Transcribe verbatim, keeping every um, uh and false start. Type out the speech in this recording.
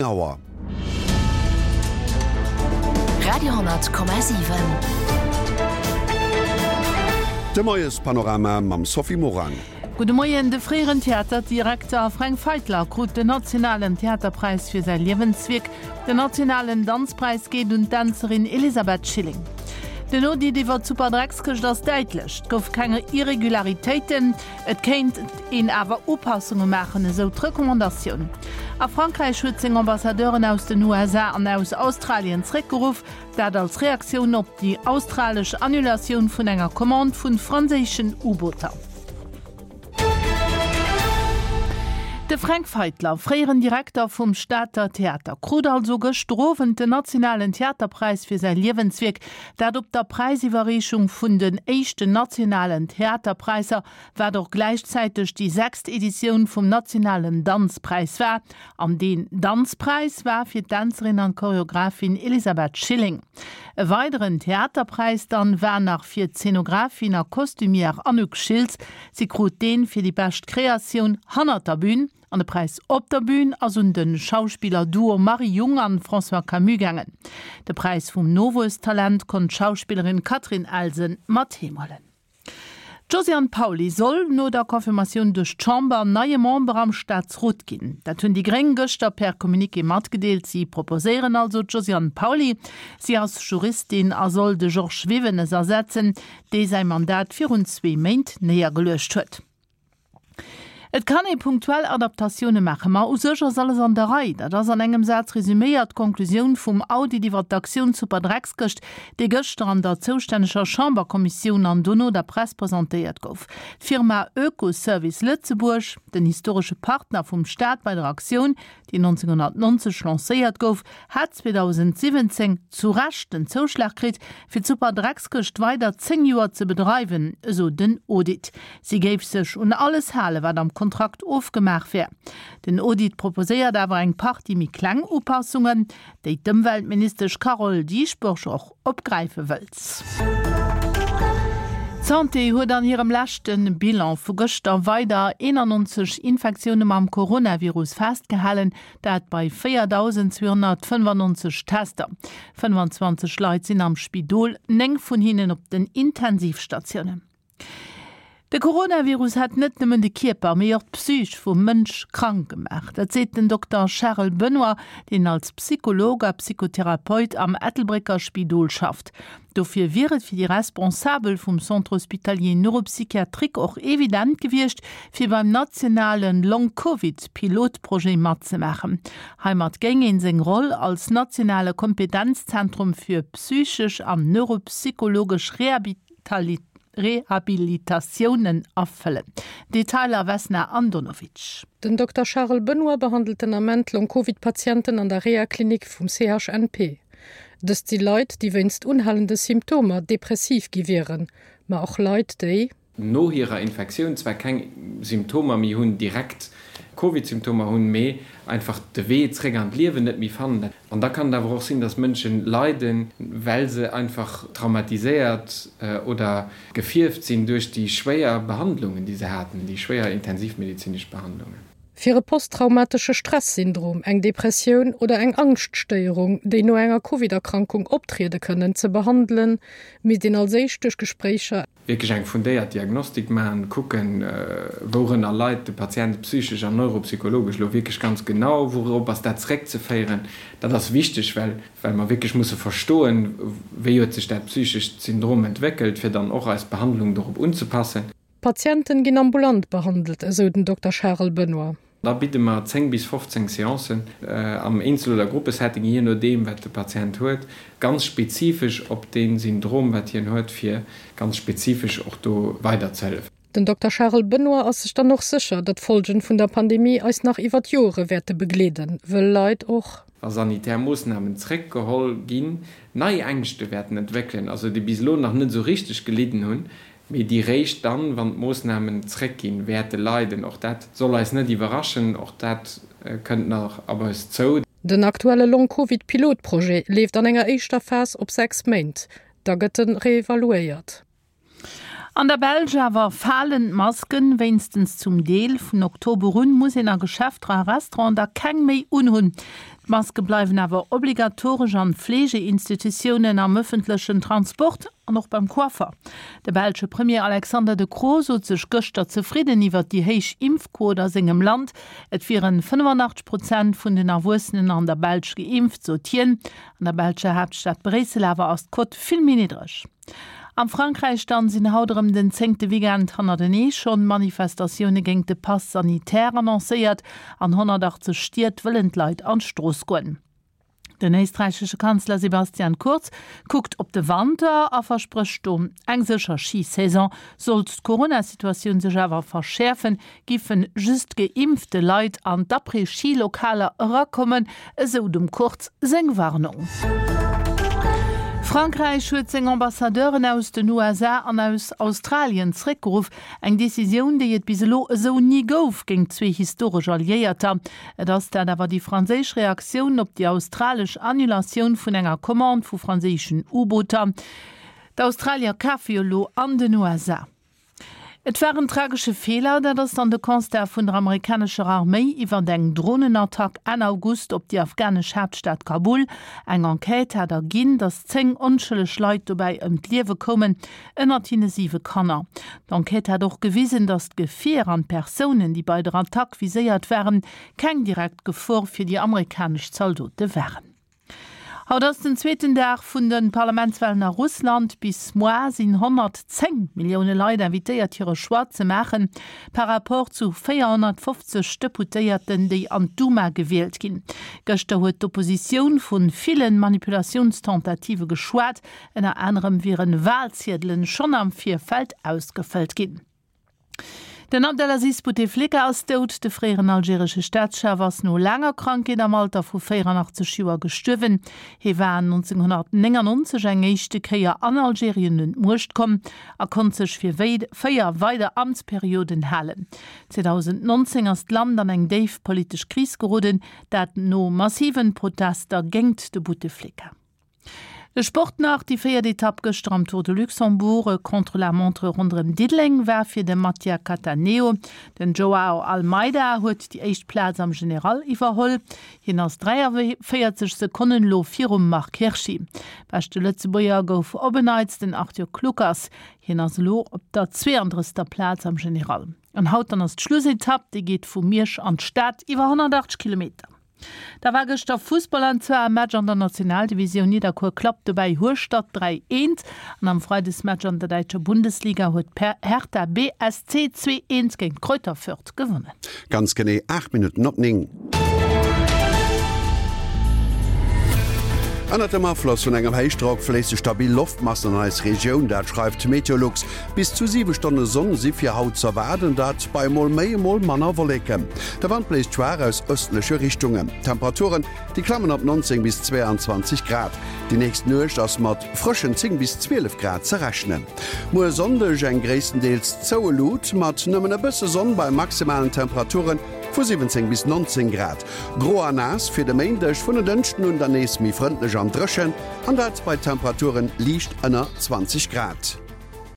Auer. Radio siwen. De Moiespanorama mam Sophie Morang. Gudde Moien, De fréieren Theaterdirekter Fränk Feitler krut den nationalen Theaterpräis fir säi Liewenswierk. Den nationalen Danzpräis geet un d'Dänzerin Elisabeth Schilling. Den Audit iwwer d'Superdreckskëscht ass däitlech, Et gouf keng Irregularitéiten, et kéint een awer Upassunge maachen, esou d'Recommandatioun. A Frankräich huet seng Ambassadeuren aus den U S A an aus Australien zréckgeruff, dat als Reaktioun op déi australesch Annulatioun vun enger Commande vu franséischen U-Booter. De Fränk Feitler, fréieren Direkter vum Stater Theater, krut also gëschter Owend den nationalen Theaterpräis fir säi Liewenswierk, dat op der Präisiwwerreechung vun den éischten nationalen Theaterpräisser, wat och gläichzäiteg déi sechst Editioun vum nationalen Danzpräis war. An deen Danzpräis war fir d'Dänzerin an Choreografin Elisabeth Schilling. E weideren Theaterpräis dann war nach fir d'Szenografin a Costumière Anouk Schiltz. Si krut deen fir déi bescht Kreatioun hannert der Bühn. An de Präis op der Bühn ass un de Schauspiller-Duo Marie Jung an François Camus gaangen. De Präis vum Nowuesstalent konnt d'Schauspillerin Catherine Elsen mat heem huelen. D'Josiane Pauly soll no der Confirmatioun duerch d'Chamber neie Member am Staatsrot ginn. Dat hunn déi Gréng gëschter per Communiqué matgedeelt. Si proposéieren also d'Josiane Pauly. Si ass Juristin a soll de Georges Wivenes ersetzen, dee säi Mandat virun zwee Méint néiergeluecht huet. Et kann ee punktuell Adaptatioune maachen, ma u sech ass alles an der Rei. Dat ass an engem Saz resüméiert d'Konklusioun vum Audit iwwer d'Aktioun Superdreckskëscht, dee gëschter an der zoustänneger Chamberkommissioun an dono der Press presentéiert gouf. D'Firma Oekoservice Lëtzebuerg, den historesche Partner vum Staat bei der Aktioun, déi neunzehnhundertneunzeg lancéiert gouf, hat zweitausendsiwwenzéng zu Recht den Zouschlag kritt, fir d'Superdreckskëscht weider zéng Joer ze bedreiwen, esou den Audit. Si géif sech un alles hale, wat am Kontrakt ofgemaach wär. Den Audit proposéiert awer eng Partie méi kleng Upassungen, déi d'Ëmweltministesch Carole Dieschbourg och opgräife wëllt. D'Santé huet an hirem leschte Bilan vu gëschter weider eenannonzeg Infektioune mam Coronavirus festgehalen, dat bei véiertausendzweehunnertfënnefannonzeg Tester. Fënnefanzwanzeg Leit sinn am Spidol, néng vun hinnen op den Intensivstatiounen. De Coronavirus hätt net nëmmen de Kierper, mee och d'Psych vum Mënsch krank gemaach. Dat seet den Dokter Charles Benoy, deen als Psycholog a Psychotherapeut am Ettelbrécker Spidol schafft. Dofir wier et fir déi Responsabel vum Centre hospitalier neuropsychiatrique och evident gewiescht, fir beim nationalen Long-Covid-Pilotprojet matzemaachen. Heimat géing een seng Roll als nationale Kompetenzzentrum fir psychesch an neuropsychologesch Rehabilitali-, Rehabilitatiounen erfëllen. Detailer Vesna Andonovic. Den Dokter Charles Benoy behandelt den Ament Long-Covid-Patienten an der Reha-Klinik vum C H N P. Dëst si Leit, déi wéinst unhalende Symptomer depressiv gi wieren, ma och Leit, déi no hirer Infektioun zwar keng Symptomer méi hunn, direkt Covid-Symptomer hunn, mee einfach de Wee zréck an d'Liewen net méi fannen. An da kann et awer och sinn, dass Mënschen leiden, well se einfach traumatiséiert, äh, oder gefierft sinn duerch déi schwéier Behandlungen, déi se haten, déi schwéier intensivmedizinesch Behandlungen. Fir e posttraumatesche Stresssyndrom, eng Depressioun oder eng Angschtstéierung, déi no enger Covid-Erkrankung optriede kënnen, ze behandelen, misst een als éischt duerch Gespréicher wierklech eng fundéiert Diagnostik maachen, kucken, äh, wourënner leit de Patient psychesch an neuropsychologesch lo wierklech ganz genau, wourop ass dat zréckzeféieren. Dat ass wichteg, well, well mer wierklech musse verstoen, wéi huet sech dat psychescht Syndrom entwéckelt, fir dann och eis Behandlung dorop unzepassen. Patienten ginn ambulant behandelt, esou den Dokter Charles Benoy. Da biede mer zéng bis fofzéng Seancen, äh, am Einzel- oder Gruppesetting, je nodeem, wat de Patient huet, ganz spezifesch op den Syndrom, wat hien huet, fir ganz spezifesch och do weiderzehelfen. Den Dokter Charles Benoy ass sech dann och sécher, datt d'Folgen vun der Pandemie eis nach iwwer d'Jore wäerte begleeden, wëll Leit och wa sanitär Moossnamen zréckgeholl ginn, nei Ängschte wäerten entwéckelen, also déi bis elo nach net so richtig gelidden hunn, mee déi réischt dann, wann d'Moossnamen zréckginn, wäerte leiden. Och dat soll eis net iwwerraschen, och dat, äh, kënnt nach op eis zou. Den aktuelle Long-Covid-Pilotprojet leeft an enger éischter Phas op sechs Méint. Da gëtt en reevaluéiert. An der Belsch awer falen d'Masken wéinstens zum Deel. Vun Oktober un muss een a Geschäfter a Restaurant da keng méi unhunn. D'Maske bleiwen awer obligatoresch an Fleegeinstitutiounen, am ëffentlechen Transport an och beim Coiffer. De belsche Premier Alexander De Croo sot sech gëschter zefridden iwwer déi héich Impfquot a sengem Land. Et wieren fënnefannachtzeg Prozent vun den Erwuessenen an der Belsch geimpft, sot hien. An der belscher Haaptstad Bréissel awer ass d'Quot vill méi niddreg. Am Frankräich dann sinn haut erëm den zéngte Weekend hannertenee schonn Manifestatioune géingt de Pass sanitaire annoncéiert. An honnertachtzeg Stied wëllen d'Leit an d'Strooss goen. Den éisträichesche Kanzler Sebastian Kurz kuckt op de Wanter a versprécht do eng sécher Schi-Saison. Sollt d'Corona-Situatioun sech awer verschäerfen, giffen just geimpfte Leit an d'Après-Ski-Lokaler erakommen, esou dem Kurz seng Warnung. Frankräich huet seng Ambassadeuren aus den U S A an aus Australien zréckgeruff. Eng Decisioun, déi et bis elo esou ni gouf géint zwee historesch Alliéierter. Et ass dat awer déi franséisch Reaktioun op déi australesch Annulatioun vun enger Commande vu franséischen U-Booter. D'Australier kafe jo elo an den U S A. Et war en tragesche Feeler, dat ass dann de Constat vun der amerikanescher Arméi iwwer eng Dronenattack Enn August op déi afghanesch Haaptstad Kabul. Eng Enquête hat erginn, datt zéng onschëlleg Leit dobäi ëm d'Liewe koumen, ënnert hinne siwe Kanner. D'Enquête hat och gewisen, datt d'Gefier an d'Persounen, déi bei der Attack viséiert waren, keng direkt Gefor fir déi amerikanesch Zaldote waren. Haut ass den zweeten Dag vun de Parlamentswalen a Russland. Bis moar sinn honnertzéng Millioune Leit invitéiert hire Choix ze maachen, par rapport zu véierhonnertfofzeg Deputéierten, déi an d'Duma gewielt ginn. Gëschter huet d'Oppositioun vu ville Manipulatiounstentative geschwat, ënner anerem wieren Walziedelen schonn am Virfeld ausgefëllt ginn. Den Abdelaziz Bouteflika ass dout. De fréieren algeresche Staatschef ass no laanger Krankheet am Alter vu véieranachtzeg Joer gestuerwen. Hie war nonzénghonnertnéngannonzeg eng éischte Kéier an Algerien un d'Muecht komm a konnt sech fir véier weider Amtsperioden halen. zweedausendnonzéng ass d'Land an eng déif politesch Kris geroden, dat no massiven Protester géingt de Bouteflika. De Sport nach, Déi véiert Etapp gëschter am Tour de Luxembourg, e Contre-la-montre ronderëm Diddeleng, war fir de Mattia Cattaneo. Den Joao Almeida huet déi éischt Plaz am General iwwerholl. Hien ass dräiavéierzeg Sekonnen elo virum Marc Hirschi. Beschte Lëtzebuerger gouf op en Neits den Arthur Kluckers. Hien ass elo op der zweeandrëssegster Plaz am General. An haut dann ass d'Schlussetapp, déi geet vu Miersch an d'Stad iwwer honnertachtzeg Kilometer. Da war gëschter Fussball an zwar e Match an der Nationaldivisioun. Nidderkuer klappt dobäi Hueschtert dräi, eent an am Freidesmatch an der däitscher Bundesliga huet Hertha B S C zwee, eent géint Greuther Fürth gewonnen. Ganz genee aacht Minutten op néng. Ënnert dem Afloss vun engem Héichdrock fléisse stabil Loftmassen an eis Regioun, dat schreift Meteolux. Bis zu siwe Stonne Sonn si fir haut z'erwaarden, dat bei emol méi emol manner Wolleken. De Wand bléist schwaach aus ëstleche Richtungen. D'Temperaturen, déi klammen op neunzéng bis zweeanzwanzeg Grad. Déi nächst Nuecht ass mat frëschen zéng bis zwielef Grad ze rechnen. Muer Sonndeg eng gréisstendeels zoue Luut mat nëmmen e bësse Sonn bei maximalen Temperature vu siwwenzéng bis neunzéng Grad. Gro a naass fir de Méindeg, vun en Dënschden un dann nees méi frëndlech an dréchen, an dat bei Temperaturen liicht ënner zwanzeg Grad.